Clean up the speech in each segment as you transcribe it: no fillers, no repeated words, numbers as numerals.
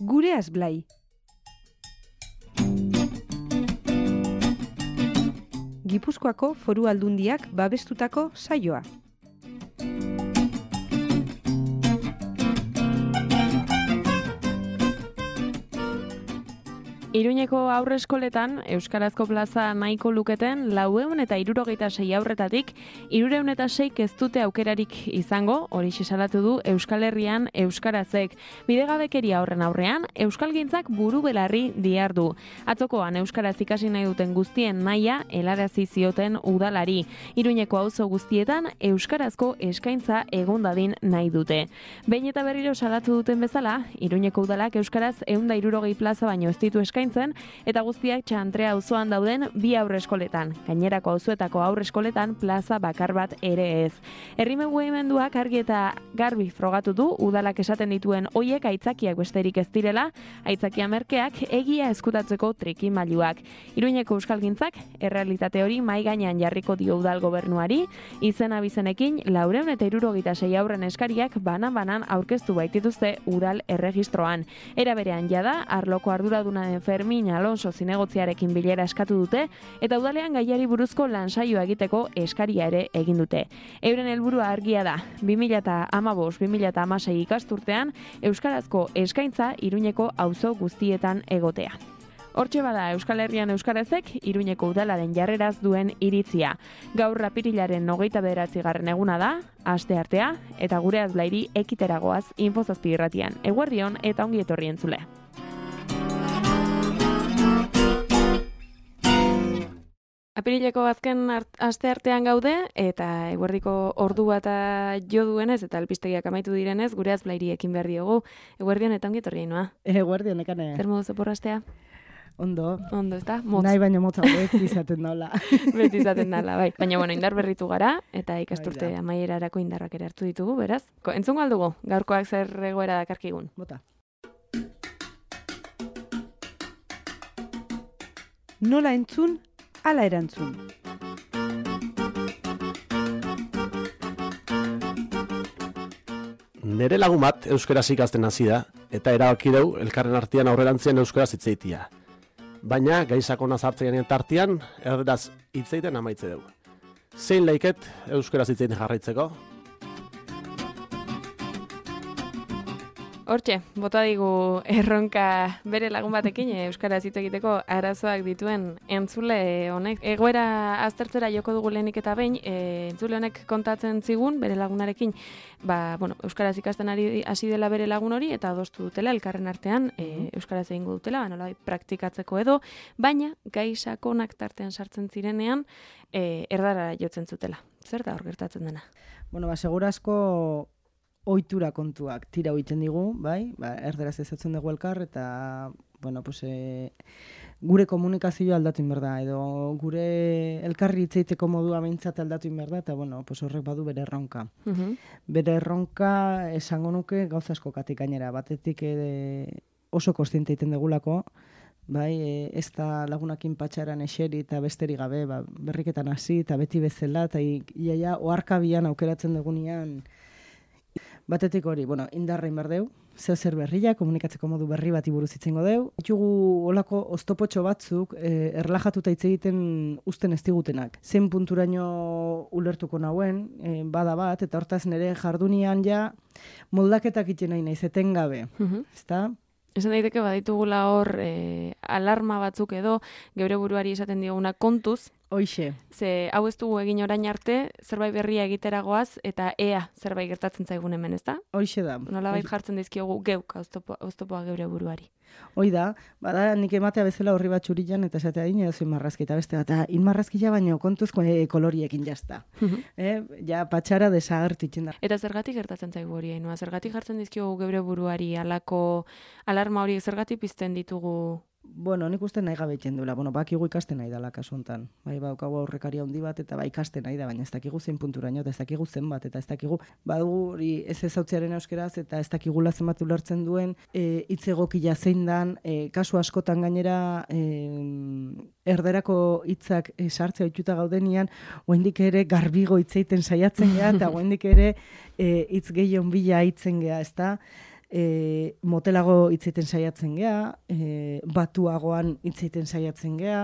Gureaz Blai. Gipuzkoako Foru Aldundiak babestutako saioa. Iruñeko aurreskoletan euskarazko plaza nahiko luketen 476 aurretatik 306 ez dute aukerarik izango, horixe salatu du Euskal Herrian euskarazek. Bidegabekeria horren aurrean, euskalgintzak buru belarri dihardu. Atzokoan euskaraz ikasi nahi duten guztien nahia helarazi zioten udalari. Iruñeko auzo guztietan euskarazko eskaintza egon dadin nahi dute. Behin eta berriro salatu duten bezala, Iruñeko udalak euskaraz 160 plaza baino ez ditu eskaintzen, eta guztiak Txantrea auzoan dauden 2 aurreskoletan. Gainerako auzoetako aurreskoletan plaza bakar bat ere ez. Herri mugimenduak argi eta garbi frogatu du udalak esaten dituen hoiek aitzakiak besterik ez direla, aitzakia merkeak egia eskutatzeko trikimailuak. Iruñeko euskalgintzak errealitate hori mahai gainean jarriko dio udal gobernuari, izen abizenekin 476 aurren eskariak banan-banan aurkeztu baitituzte udal erregistroan. Era berean jada, arloko arduraduna den Fermin Alonso zinegotziarekin bilera eskatu dute, eta udalean gaiari buruzko lansaioa egiteko eskaria ere egin dute. Euren helburua argia da, 2015-2016 ikasturtean, euskarazko eskaintza Iruñeko auzo guztietan egotea. Hortxe bada Euskal Herrian euskarazek Iruñeko udalaren jarreraz duen iritzia. Gaur apirilaren 29. eguna da, asteartea, eta Gureaz Blairi ekiteragoaz Info7 irratian. Eguerdion eta ongi etorri entzule. Apirileko azken asteartean gaude, eta eguerdiko ordu bata jo duenez, eta albistegiak amaitu direnez, Gureaz Blairi ekin behar diogu. Eguerdion eta ongi etorri noa. Eguerdion, ekane. Zer modu zeporrastea? Ondo. Ondo, ez da? Motz. Nahi baino motza beti izaten daula. Beti izaten dala, bai. Baina, indar berritu gara, eta ikasturte amaierarako indarrak ere hartu ditugu, beraz. Entzun galdugu, gaurkoak zer egoera dakarkigun. Bota. Nola entzun, ala erantzun. Nere lagun bat euskaraz ikasten hasi da, eta erabaki deu elkarren artean aurrerantzian euskaraz hitzeitia. Baina, gaizakona zartzean tartean, erderaz hitzeiten amaitze dugu. Zein laiket euskaraz hitzeiten jarraitzeko? Hortxe, bota digu erronka bere lagun batekin euskaraz hitz egiteko arazoak dituen entzule honek. Egoera aztertzera joko dugu lehenik eta behin, entzule honek kontatzen zigun bere lagunarekin, euskaraz ikasten hasi dela bere lagun hori eta adostu dutela elkarren artean euskaraz egingo dutela, nolabait praktikatzeko edo, baina gai sakonak tartean sartzen zirenean erdarara jotzen zutela. Zer da hor gertatzen dena? Segurazko ohitura kontuak tira egiten digu, bai? Erderaz ezatzen dugu elkar eta gure komunikazioa aldatu behar da, edo gure elkarri hitzeiteko modua behintzat aldatu behar da, eta horrek badu bere erronka. Bere erronka esango nuke gauza asko katik gainera, batetik oso kontziente egiten dugulako, bai, ez da lagunakin patxaran eseri eta besterik gabe, berriketan hasi eta beti bezala, eta iaia oharkabian aukeratzen dugunean. Batetik hori, indarra inbar deu, zer berria, komunikatzeko modu berri bati buruz itzengo deu. Ditugu olako oztopotxo batzuk erlajatuta hitz egiten uzten ez digutenak. Zein punturaino ulertuko nauen, bada bat, eta hortaz nire jardunian ja moldaketak iten nahi naiz, etengabe, ezta? Esan daiteke baditugula hor alarma batzuk edo, geure buruari esaten dioguna kontuz. Hoixe. Ze hau ez dugu egin orain arte, zerbait berria egiteragoaz, eta ea zerbait gertatzen zaigun hemen, ez da? Hoixe da. Nolabait jartzen dizkiogu geuk oztopoa geure buruari. Hoi da, bada nik ematea bezala horri bat txurilan, eta esatea dine dozu inmarrazki, eta beste bat, inmarrazkia baino kontuzko koloriekin jazta. Ja, patxara desagertitzen da. Eta zergatik gertatzen zaigu hori, Ainhoa? Zergatik jartzen dizkiogu geure buruari alako alarma hori, zergatik pizten ditugu? Nik uste nahi gabe egiten duela. Bakigu ikasten nahi dela kasu honetan. Baukagu aurrekaria handi bat eta ikasten nahi da, baina ez dakigu zein punturaino, eta ez dakigu zenbat, eta ez dakigu badugu hori ez ezautzearen euskeraz, eta ez dakigula zenbat ulertzen duen hitz egokia zein dan, kasu askotan gainera erderako hitzak sartzea ohituta gaudenian, oraindik ere garbigo hitz egiten saiatzen gea, eta oraindik ere hitz gehiago bila hitzen gea, ezta? motelago hitzeiten saiatzen gea, batuagoan hitzeiten saiatzen gea,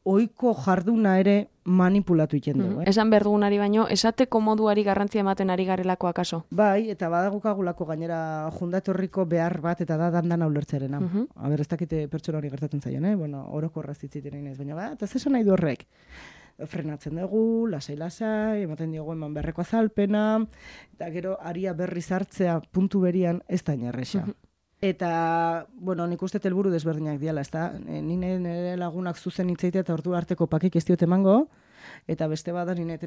ohiko jarduna ere manipulatu iten dugu. Esan behar dugunari baino, esateko moduari garrantzia ematen ari garelako akaso? Bai, eta badagukagulako gainera jundatorriko behar bat, eta da dandan ulertzerena. Aber, ez dakite pertsona hori gertatzen zaion, bueno, orokorraz hitziten ez, baina eta zesan nahi du horrek? Frenatzen dugu, lasai, ematen diogu eman beharreko azalpena, eta gero aria berriz hartzea puntu berian ez da inerresa. Eta, bueno, nik uste helburu desberdinak diala, ez da? Nire lagunak zuzen hitzeitea eta ordu arteko pakik ez diot emango, eta beste bada nire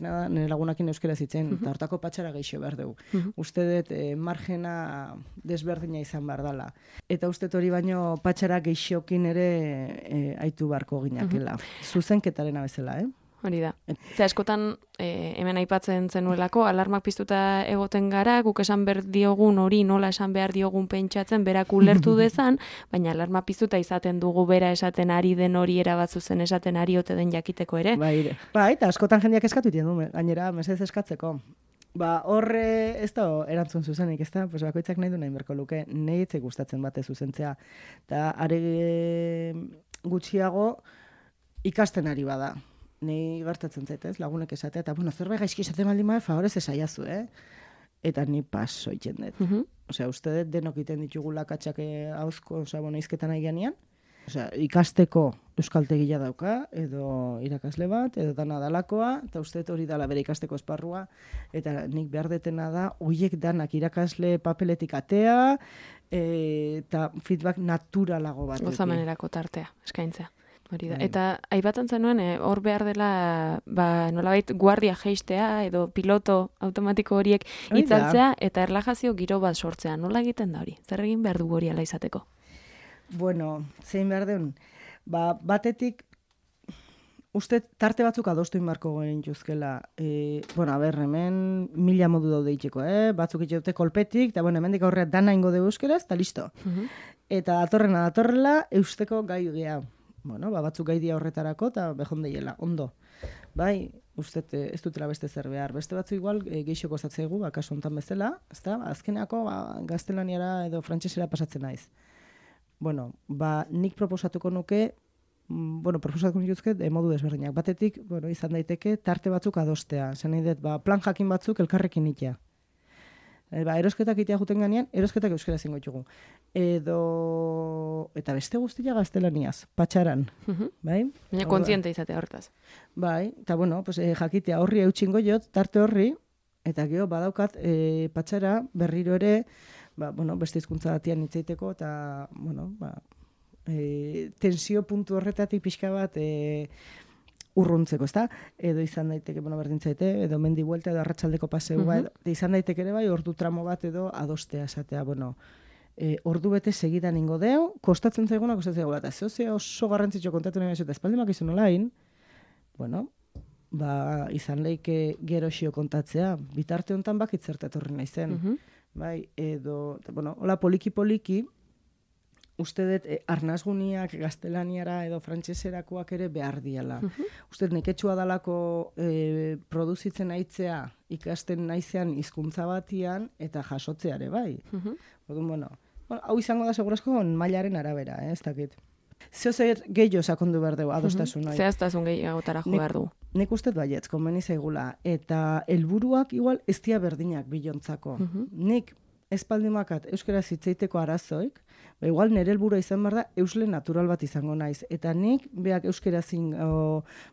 lagunakin euskera zitzen, eta hortako patxara geixo behar dugu. Uste dut margena desberdina izan behar dela. Eta uste hori baino patxara geixokin ere aitu barko ginakela. Zuzenketarena bezala, Hori da. Ze askotan, hemen aipatzen zenuelako, alarmak piztuta egoten gara, guk esan behar diogun hori nola esan behar diogun pentsatzen, berak ulertu dezan, baina alarma piztuta izaten dugu bera esaten ari den hori erabatzu zen esaten ari ote den jakiteko ere. Bai, eta askotan jendeak eskatu iten du, gainera, mesedez eskatzeko. Horre ez da erantzun zuzenik, ez da? Pues bakoitzak nahi du nahi berko luke, nahi etzek gustatzen bate zuzentzea. Eta are gutxiago ikasten ari bada. Ni gertatzen zaitez, lagunek esatea, eta zerbait gaizki esaten baldin bada, favorez esaiazu, Eta ni paso iten dut. Osea, uste dut denok iten ditugula katxak hauzko, izketan nahi ganean. Osea, ikasteko euskaltegia dauka, edo irakasle bat, edo dana dalakoa, eta uste dut hori dala bere ikasteko esparrua, eta nik behar detena da, hoiek danak irakasle papeletik atea, eta feedback naturalago bat. Gozamenerako tartea, eskaintzea. Hori da. Eta aipatzen zenuen, hor behar dela, nolabait guardia jeistea edo piloto automatiko horiek itzaltzea eta erlajazio giro bat sortzea. Nola egiten da hori? Zer egin behar dugu hori ala izateko? Bueno, zein behar duen, batetik, uste tarte batzuk adostu inbarko goen juzkela. Hemen 1000 modu daude itxeko, batzuk itxeute kolpetik, eta hemendik aurrea dana ingo dugu euskeraz, eta listo. Eta datorrela, eusteko gai gea. Batzuk gai dia horretarako, eta behon deiela, ondo. Bai, uste ez dutela beste zer behar. Beste batzu igual geixoko zatzegu, kasu hontan bezala, ezta? Azkeneako gaztelaniara edo frantsesera pasatzen naiz. Nik proposatuko nuke, proposatuko nituzke modu desberdinak. Batetik, izan daiteke, tarte batzuk adostea. Zer nahi dut, plan jakin batzuk elkarrekin itea. Erosketak itea juten ganean, erosketak euskera zingo ditugu. Eta beste guztia gaztelaniaz, patxaran. Bai? Baina kontziente izatea hortaz. Bai, eta jakitea horri eutxingo jot, tarte horri, eta geho badaukat patxara berriro ere, beste hizkuntza batian hitzeiteko, eta, tensio puntu horretatik pixka bat urruntzeko, ezta? Edo izan daiteke, berdin zaite, edo mendi buelta, edo arratsaldeko paseu bat, izan daiteke ere bai, ordu tramo bat edo adostea esatea, ordu bete segidan ingo deu, kostatzen zaiguna, eta oso garrantzitxo kontatu nahi eta espaldimak izan olain, izan leike gero xio kontatzea, bitarte honetan bakitzerta etorri nahi zen, bai, edo, hola poliki, uste dut arnazguniak gaztelaniara edo frantseserakoak ere behar diala. Uste dut neketxua dalako produzitzen aitzea ikasten naizean hizkuntza batian eta jasotzeare bai. Hau izango da segurazko mailaren arabera, ez dakit. Zer gehiago sakondu behar dugu adostasun. Zehaztasun gehiagotara jo behar du. Nik uste dut baietz, konbeni zaigula. Eta helburuak igual ez dia berdinak bilontzako. Nik espaldimakat euskera zitzeiteko arazoik, igual nire helburua izan behar da eusle natural bat izango naiz. Eta nik beak euskera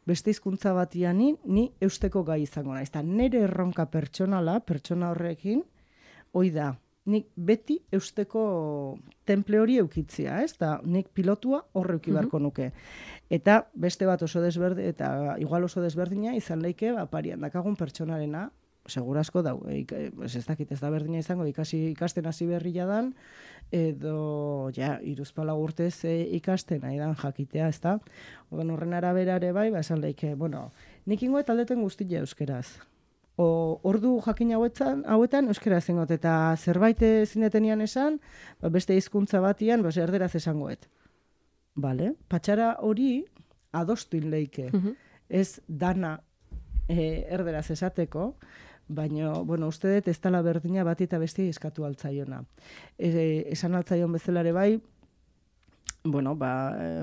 beste hizkuntza batian ni eusteko gai izango naiz. Eta nire erronka pertsona horrekin, hoi da, nik beti eusteko temple hori eukitzia, ez? Eta nik pilotua horre euki beharko nuke. Eta beste bat igual oso desberdina izan leike, parian dakagun pertsonarena, segurazko dau, ez dakit ez da berdina izango, ikasten hasi berria dan, edo, 3-4 urtez ikasten, nahi dan jakitea, ez da? Horren arabera ere bai, esan leike, nik ingoet aldeten guztia euskeraz. Ordu jakin hauetan euskera zengot, eta zerbait zinetenian esan, beste hizkuntza batian, erderaz esangoet. Patxara hori adostu leike, ez dana erderaz esateko, Baina, bueno, uste dut ez dela berdina bat eta besti eskatu altzaiona. Esan altzaion bezalare bai, bueno,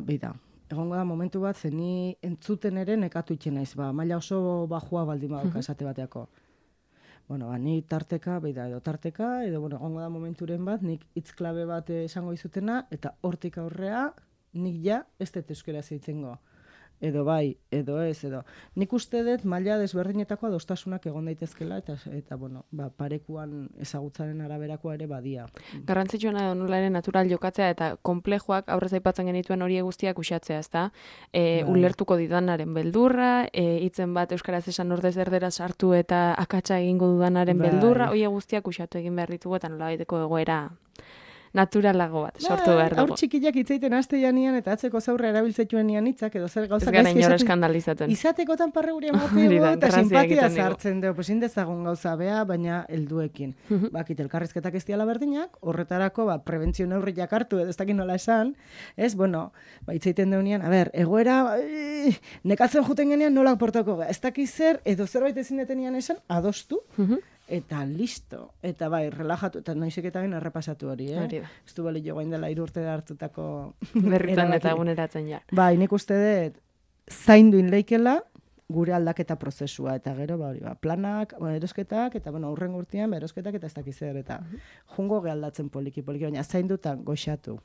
bida, egongo da momentu bat, zeni entzuten ere nekatu itxen naiz, maila oso bajua baldin badauka esate bateako. Bueno, ni tarteka, edo, bueno, egongo da momenturen bat, nik hitz klabe bat esango izutena, eta hortik aurrea, nik ja, ez dut euskera zeitzen edo bai, edo ez, edo. Nik uste dut maila desberdinetako adostasunak egon daitezkela, eta bueno, parekuan ezagutzaren araberakoa ere badia. Garrantzitsuena da nola ere natural jokatzea eta konplejoak aurrez aipatzen genituen hori guztiak uxatzea, ezta? Ulertuko didanaren beldurra, hitzen bat euskaraz esan ordez erderaz sartu eta akatsa egingo dudanaren beldurra, hori guztiak uxatu egin behar ditugu eta nola baiteko egoera naturalago bat sortu behar dugu. Aur txikiak hitzeiten aste janian eta atzeko zaurra erabiltzetuen nian hitzak edo zer gauza gaizki esaten. Eskandalizaten. Izatekotan parreguri emateo eta simpatia sartzen dugu. Pues indezagun gauza bea, baina helduekin. Bakit elkarrizketak ez diala berdinak, horretarako prebentzio neurriak hartu edo ez dakit nola esan, ez, bueno, hitzeiten deunean, egoera nekatzen juten genean nola portako ez dakit zer, edo zerbait ezin detenian esan, adostu, eta listo. Eta relajatu, eta noizek eta bain errepasatu hori, Ez du bali jo gain dela 3 urte hartutako berritan eta eguneratzen ja. Nik uste dut zainduin leikela gure aldaketa prozesua, eta gero, planak, erosketak, eta, aurren urtean, erosketak, eta ez dakiz zer, eta jungo gehaldatzen poliki, baina zaindutan goxatu.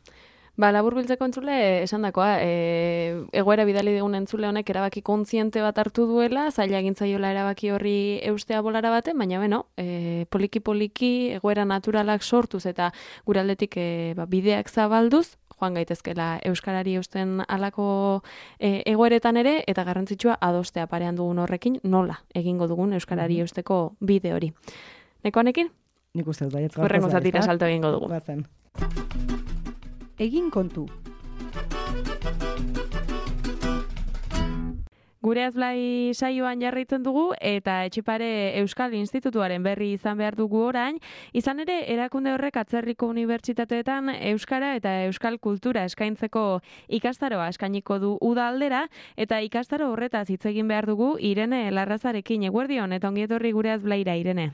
Labur biltzeko entzule, esan dakoa, egoera bidali dugun entzule honek erabaki kontziente bat hartu duela, zaila egintzaiola erabaki horri eustea bolara baten, baina poliki-poliki egoera naturalak sortuz eta gure aldetik bideak zabalduz, joan gaitezkela euskarari eusten alako egoeretan ere, eta garrantzitsua adostea parean dugun horrekin nola egingo dugun euskarari eusteko bide hori. Neko honekin? Nik uste dut, baiet gaur. Horrengo zatira salto egingo dugu. Bazen. Egin kontu. Gure Azblai saioan jarraitzen dugu eta Etxepare Euskal Institutuaren berri izan behar dugu orain. Izan ere, erakunde horrek atzerriko unibertsitateetan euskara eta euskal kultura eskaintzeko ikastaroa eskainiko du uda aldera, eta ikastaro horretaz hitz egin behar dugu Irene Larrazarekin. Eguerdion, eta ongietorri gure Azblaira, Irene.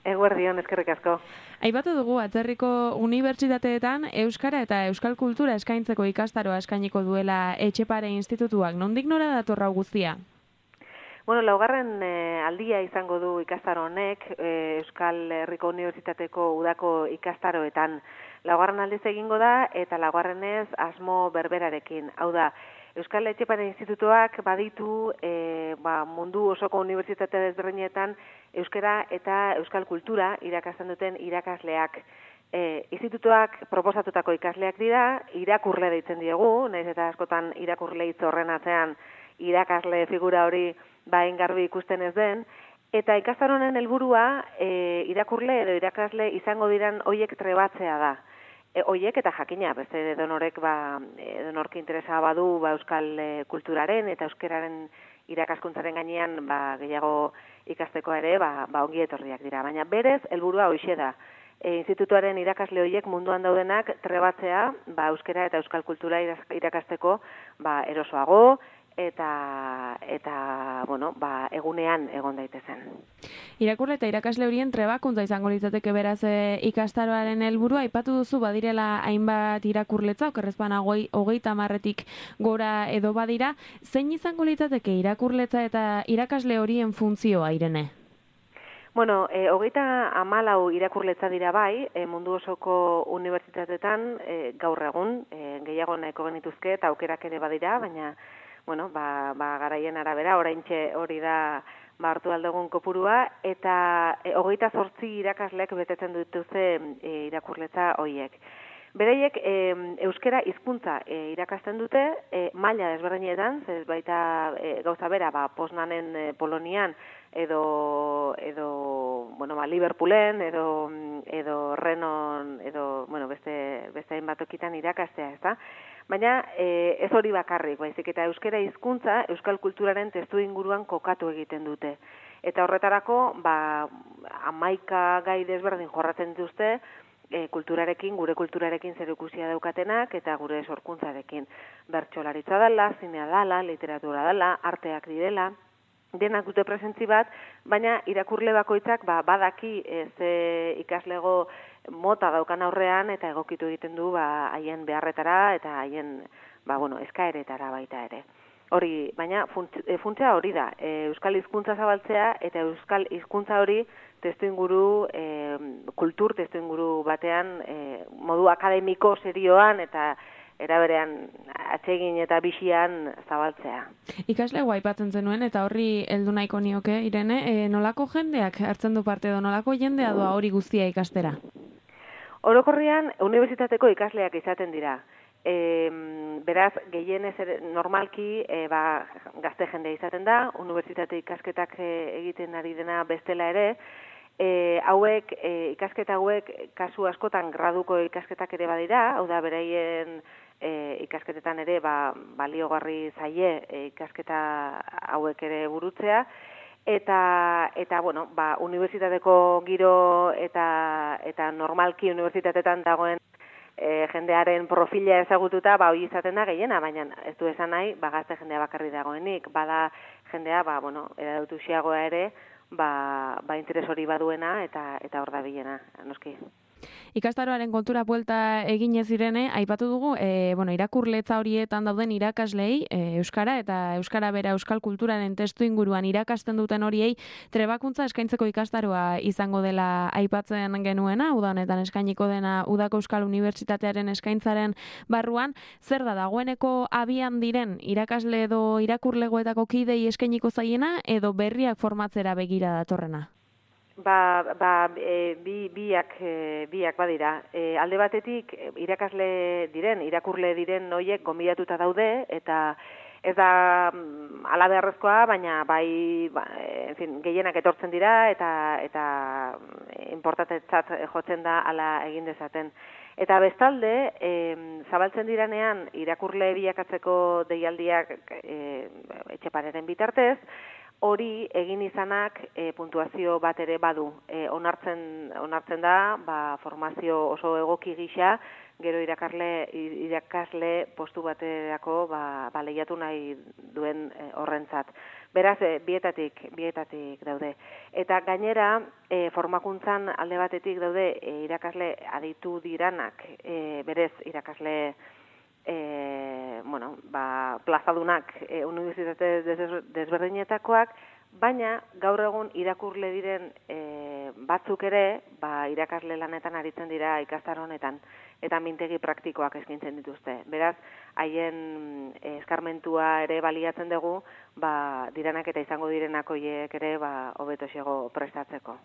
Eguerdion, eskerrik asko. Aipatu dugu, atzerriko unibertsitateetan euskara eta euskal kultura eskaintzeko ikastaroa eskainiko duela Etxepare Institutuak. Nondik nora dator hau guztia? Bueno, laugarren aldia izango du ikastaro honek Euskal Herriko Unibertsitateko udako ikastaroetan. Laugarren aldiz egingo da eta laugarrenez asmo berberarekin. Hau da, Euskal Etxepare Institutuak baditu mundu osoko unibertsitate desberdinetan euskara eta euskal kultura irakasten duten irakasleak. Institutuak proposatutako ikasleak dira, irakurle deitzen diegu, nahiz eta askotan irakurle hitz horren atzean irakasle figura hori garbi ikusten ez den, eta ikastaronen helburua irakurle edo irakasle izango diran hoiek trebatzea da. Hoiek eta jakina, beste edonorek edonork interesa badu euskal kulturaren eta euskararen irakaskuntzaren gainean gehiago ikasteko ere ongi etorriak dira. Baina berez, helburua hoixe da. Institutuaren irakasle horiek munduan daudenak trebatzea euskara eta euskal kultura irakasteko erosoago eta egunean egon daitezen. Irakurle eta irakasle horien trebakuntza izango litzateke beraz ikastaroaren helburua. Aipatu duzu badirela hainbat irakurletza, okerrezpana 30 gora edo badira. Zein izango litzateke irakurletza eta irakasle horien funtzioa, Irene? Bueno, 34 irakurletza dira mundu osoko unibertsitateetan gaur egun, gehiago nahiko genituzke eta aukerak ere badira, baina garaien arabera, oraintxe hori da hartu aldegun kopurua, eta 28 irakasleak betetzen dituzte irakurletza horiek. Bereiek euskara hizkuntza irakasten dute, maila desberdinetan, ez baita gauza bera, Poznanen Polonian, edo Liverpoolen, edo Renon, edo beste hainbat tokitan irakastea, ezta? Baina ez hori bakarrik, baizik eta euskara hizkuntza euskal kulturaren testu inguruan kokatu egiten dute. Eta horretarako, 11 gai desberdin jorratzen dituzte, gure kulturarekin zerikusia daukatenak eta gure sorkuntzarekin. Bertsolaritza dela, zinea dela, literatura dela, arteak direla, denak dute presentzi bat, baina irakurle bakoitzak badaki ze ikaslego mota daukan aurrean eta egokitu egiten du haien beharretara eta haien eskaeretara baita ere. Hori, baina funtsa hori da, euskal hizkuntza zabaltzea eta euskal hizkuntza hori testuinguru, kultur testuinguru batean, modu akademiko serioan eta eraberean atsegin eta bixian zabaltzea. Ikaslego aipatzen zenuen eta horri heldu nahiko nioke, Irene, nolako jendeak hartzen du parte edo nolako jendea doa hori guztia ikastera? Orokorrean, unibertsitateko ikasleak izaten dira. Beraz, gehienez normalki gazte jendea izaten da, unibertsitate ikasketak egiten ari dena bestela ere, ikasketa hauek kasu askotan graduko ikasketak ere badira, hau da beraien ikasketetan ere baliogarri zaie ikasketa hauek ere burutzea, eta unibertsitateko giro eta normalki unibertsitatetan dagoen jendearen profila ezagututa, hori izaten da gehiena, baina ez du esan nahi, gazte jendea bakarri dagoenik, bada jendea, eradutuxiagoa ere, interes hori baduena eta hor da bilena, noski. Ikastaroaren kontura buelta eginez Irene, aipatu dugu, irakurletza horietan dauden irakaslei, euskara eta euskara bera euskal kulturaren testu inguruan irakasten duten horiei trebakuntza eskaintzeko ikastaroa izango dela aipatzen genuena, uda honetan eskainiko dena Udako Euskal Unibertsitatearen eskaintzaren barruan, zer da dagoeneko abian diren irakasle edo irakurlegoetako kidei eskainiko zaiena edo berriak formatzera begira datorrena? Biak badira. Alde batetik, irakurle diren noiek gonbidatuta daude, eta ez da ala beharrezkoa, baina gehienak etortzen dira, eta inportantetzat jotzen da ala egin dezaten. Eta bestalde, zabaltzen diranean, irakurle bilakatzeko deialdiak etxepareren bitartez, hori egin izanak puntuazio bat ere badu. Onartzen da, formazio oso egoki gisa, gero irakasle postu baterako lehiatu nahi duen horrentzat. Beraz, bietatik daude. Eta gainera, formakuntzan alde batetik daude irakasle aditu diranak, berez irakasle plazadunak unibertsitate desberdinetakoak, baina gaur egun irakurle diren batzuk ere irakasle lanetan aritzen dira ikastaro honetan eta mintegi praktikoak eskaintzen dituzte. Beraz, haien eskarmentua ere baliatzen dugu, diranak eta izango direnak horiek ere hobetoxego prestatzeko.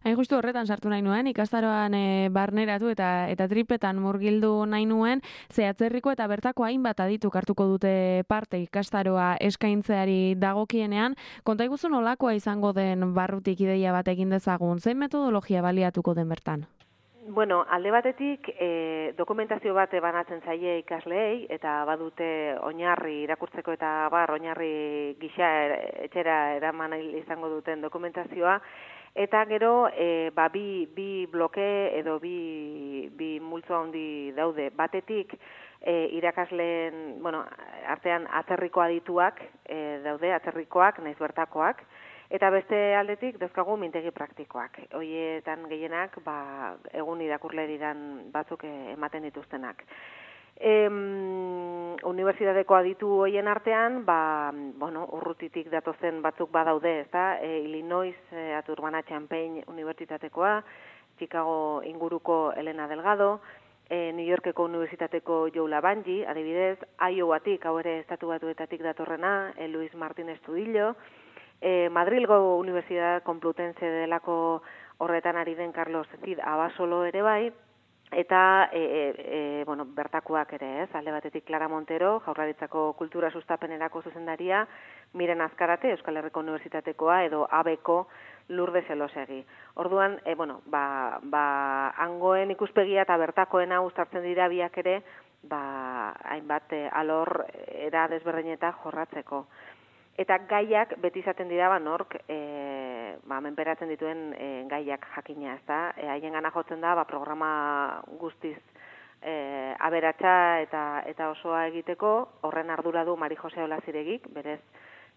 Hain justu horretan sartu nahi nuen, ikastaroan barneratu eta tripetan murgildu nahi nuen, ze atzerriko eta bertako hainbat adituk hartuko dute parte ikastaroa eskaintzeari dagokienean. Konta iguzu nolakoa izango den barrutik ideia bat egin dezagun, zein metodologia baliatuko den bertan? Bueno, alde batetik dokumentazio bat banatzen zaie ikasleei eta badute oinarri irakurtzeko eta oinarri gisa etxera eraman izango duten dokumentazioa. Eta gero, bi bloke edo bi multzo handi daude. Batetik, irakasleen, artean atzerriko adituak daude, atzerrikoak, naiz bertakoak, eta beste aldetik dauzkagu mintegi praktikoak. Horietan gehienak, egun irakurle diran batzuk ematen dituztenak. Unibertsitateko aditu hoien artean, urrutitik datozen batzuk badaude, ezta? Illinois, Urbana-Champaign Unibertsitatekoa, Chicago inguruko Elena Delgado, New Yorkeko Unibertsitateko Joe Labanji, adibidez, Iowatik, hau ere estatu batuetatik datorrena, Luis Martín Estudillo, Madrilgo Universidad Complutense delako horretan ari den Carlos Cid Abasolo ere bai, eta bertakoak ere, alde batetik Clara Montero, Jaurlaritzako Kultura Sustapenerako zuzendaria, Miren Azkarate, Euskal Herriko Unibertsitatekoa, edo ABko Lourdes Elosegi. Orduan, hangoen ikuspegia eta bertakoena uztartzen dira biak ere, hainbat alor era desberdineta jorratzeko. Eta gaiak beti izaten dira nork menperatzen dituen gaiak jakina, ezta? Haien gana jotzen da programa guztiz aberatsa eta osoa egiteko, horren ardura du Mari Jose Olaziregik, berez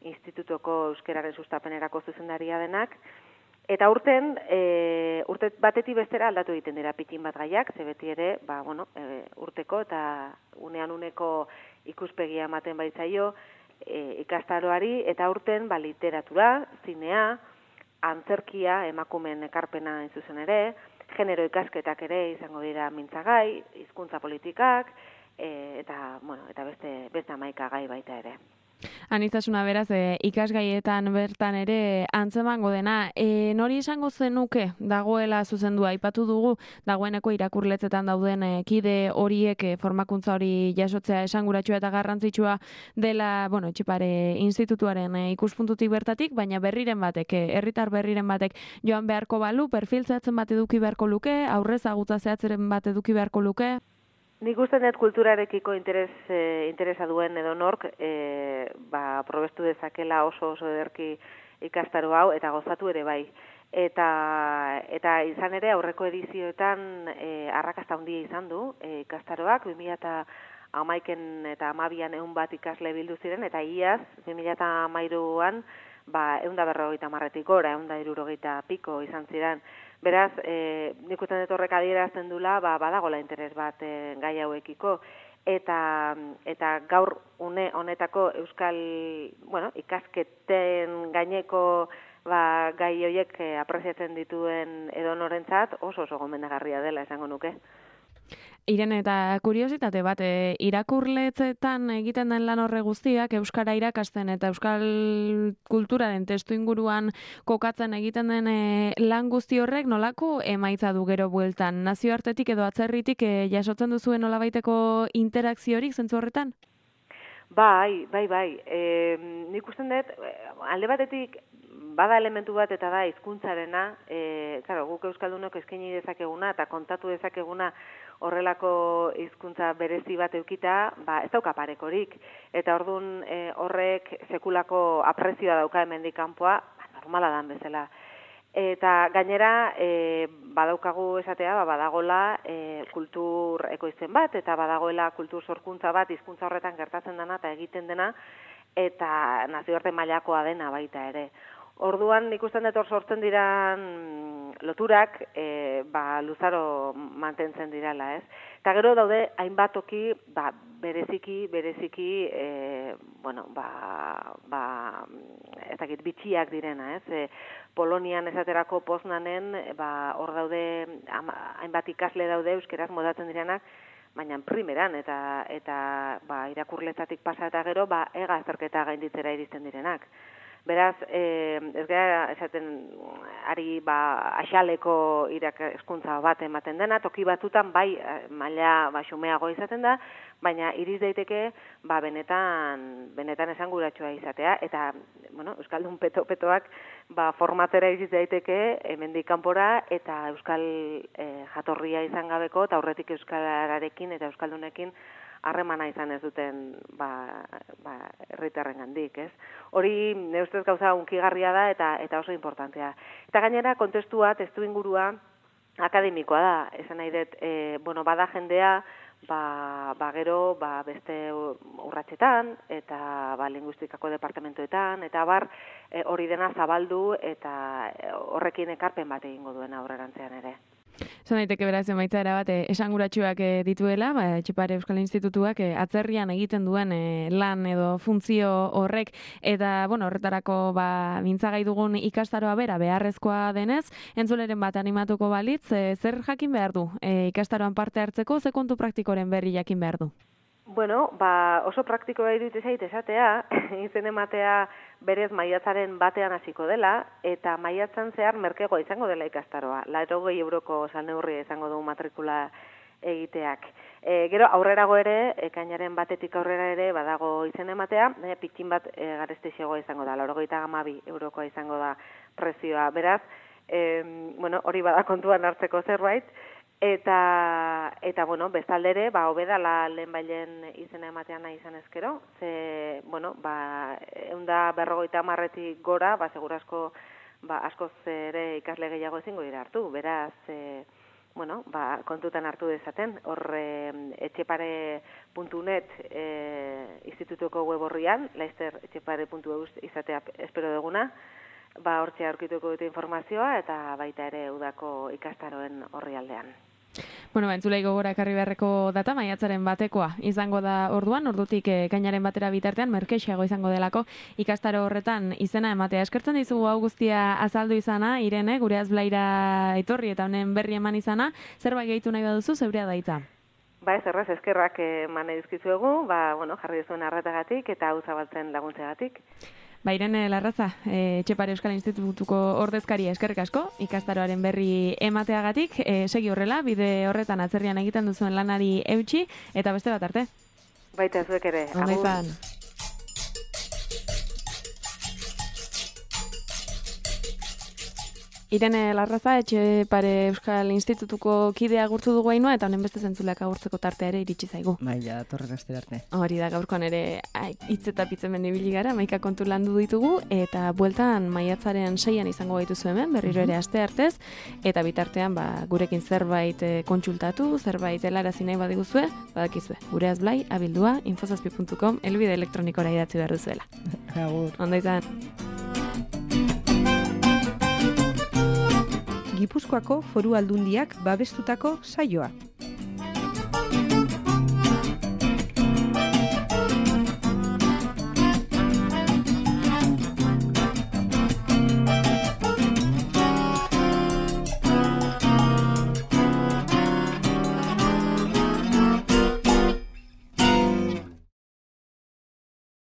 institutoko euskeraren sustapenerako zuzendaria denak, eta urten, urte batetik bestera aldatu egiten dira pitin bat gaiak, ze beti ere, urteko eta uneko ikuspegia ematen baitzaio ikastaroari, eta urten literatura, zinea, antzerkia, emakumeen ekarpena zuzen ere, genero ikasketak ere izango dira mintzagai, hizkuntza politikak, eta beste 11 gai baita ere. Aniztasuna beraz, ikasgaietan bertan ere antzemango dena. Nori esango zenuke dagoela zuzendua? Aipatu dugu, dagoeneko irakurletzetan dauden kide horiek formakuntza hori jasotzea esanguratsua eta garrantzitsua dela, Etxepare institutuaren ikuspuntutik bertatik, baina herritar berriren batek joan beharko balu, perfil zehatzen bat eduki beharko luke, aurrez agutza zehatzeren bat eduki beharko luke? Nik usten dut kulturarekiko interesa duen edo nork, probestu dezakela oso ederki ikastaro hau, eta gozatu ere bai. Eta izan ere aurreko edizioetan arrakasta handia izan du ikastaroak, 2011 eta 2012an 100 bat ikasle bildu ziren, eta iaz 2013an 150-tik gora, 160 piko izan ziren. Beraz, nik usten dut horrek adierazten dula, badagola interes bat gai hauekiko, eta gaur honetako euskal, ikasketen gaineko gai horiek apreziatzen dituen edonorentzat oso gomendagarria dela esango nuke. Irene, eta kuriositate bat, irakurletzetan egiten den lan horre guztiak euskara irakasten eta euskal kulturaren testu inguruan kokatzen egiten den lan guzti horrek nolako emaitza du gero bueltan? Nazioartetik edo atzerritik jasotzen duzuen nolabaiteko interakziorik zentzu horretan? Bai. Nik usten dut, alde batetik bada elementu bat eta da hizkuntzarena, guk euskaldunok eskaini dezakeguna eta kontatu dezakeguna horrelako hizkuntza berezi bat eukita, ez dauka parekorik. Eta orduan horrek sekulako aprezioa dauka hemendik kanpoa, normala dan bezala. Eta gainera, badaukagu esatea, badagola kultur ekoizpen bat, eta badagoela kultur sorkuntza bat, hizkuntza horretan gertatzen dena eta egiten dena, eta nazioarte mailakoa dena baita ere. Orduan ikusten dut hor sortzen diran loturak, luzaro mantentzen dirala, ez? Eta gero daude hainbat toki, bereziki, ez dakit bitxiak direna, ez? Polonian esaterako Poznanen, hor daude hainbat ikasle daude euskeraz modatzen direnak, baina primeran eta irakurletzatik pasa eta gero ega azterketa gainditzera iristen direnak. Beraz, ez gara esaten ari axaleko irakaskuntza bat ematen dena, toki batutan maila xumeago izaten da, baina iriz daiteke benetan esanguratsua izatea, eta euskaldun petoak formatera iriz daiteke hemendik kanpora eta euskal jatorria izan gabeko eta aurretik euskalarekin eta euskaldunekin harremana izan ez duten herritarrengandik, ez? Hori neustez gauza hunkigarria da eta oso importantea. Eta gainera kontestua, testuingurua akademikoa da, esan nahi dut, bada jendea, gero beste urratsetan eta linguistikako departamentoetan eta hori dena zabaldu eta horrekin ekarpen bat egingo duen aurrerantzean ere. Zan daiteke beraz emaitza erabat esanguratsuak dituela, Etxepare Euskal Institutuak atzerrian egiten duen lan edo funtzio horrek, eta horretarako mintzagai dugun ikastaroa beharrezkoa denez, entzuleren bat animatuko balitz, zer jakin behar du ikastaroan parte hartzeko, ze kontu praktikoren berri jakin behar du? Oso praktikoa iruditzen zait esatea, izen ematea berez maiatzaren batean hasiko dela, eta maiatzan zehar merkegoa izango dela ikastaroa. 80 euroko salneurria izango du matrikula egiteak. Gero aurrerago ere, ekainaren batetik aurrera ere badago izen ematea, pitxin bat garestixegoa izango da, 82 eurokoa izango da prezioa. Beraz, hori bada kontuan hartzeko zerbait, eta bestaldere, hobedala lehenbailen izena ematean nahi izan ezkero, ze, 150-tik gora, segurazko, askoz ere ikasle gehiago ezingo dira hartu, beraz, bueno, kontutan hartu dezaten, hor etxepare.net institutuko web horrian, laizter etxepare.eus izatea espero duguna, hortxe aurkituko dute informazioa eta baita ere udako ikastaroen orrialdean. Bueno, entzulei gogora ekarri beharreko data, maiatzaren batekoa izango da orduan, ordutik ekainaren batera bitartean, merkexeago izango delako ikastaro horretan izena ematea. Eskertzen dizugu hau guztia azaldu izana, Irene, gure azblaira etorri eta honen berri eman izana, zerbait gehitu nahi baduzu, zeurea da hitza. Ez erraz, eskerrak eman edizkizuegu, jarri duzuen arretagatik eta hau zabaltzen laguntzegatik. Irene Larraza, Etxepare Euskal Institutuko ordezkaria eskerrik asko, ikastaroaren berri emateagatik, segi horrela, bide horretan atzerrian egiten duzuen lanari eutxi, eta beste bat arte. Baita zuek ere. Ondo izan. Irene Larraza, Etxepare Euskal Institutuko kidea agurtu dugu hainua, eta honen beste zentzuleak agurtzeko tartea ere iritsi zaigu. Ja, torren astera arte. Hori da, gaurkoan ere hitz eta pitzen ibili gara, 11 kontu landu ditugu, eta bueltan maiatzaren 6an izango gaituzu hemen, berriro ere aste artez, eta bitartean gurekin zerbait kontsultatu, zerbait helarazi nahi badiguzue, badakizue, gure azblai, abildua, infosazpi.com, elbide elektronikora idatzi behar duzuela. Agur. Ondo izan. Gipuzkoako Foru Aldundiak babestutako saioa.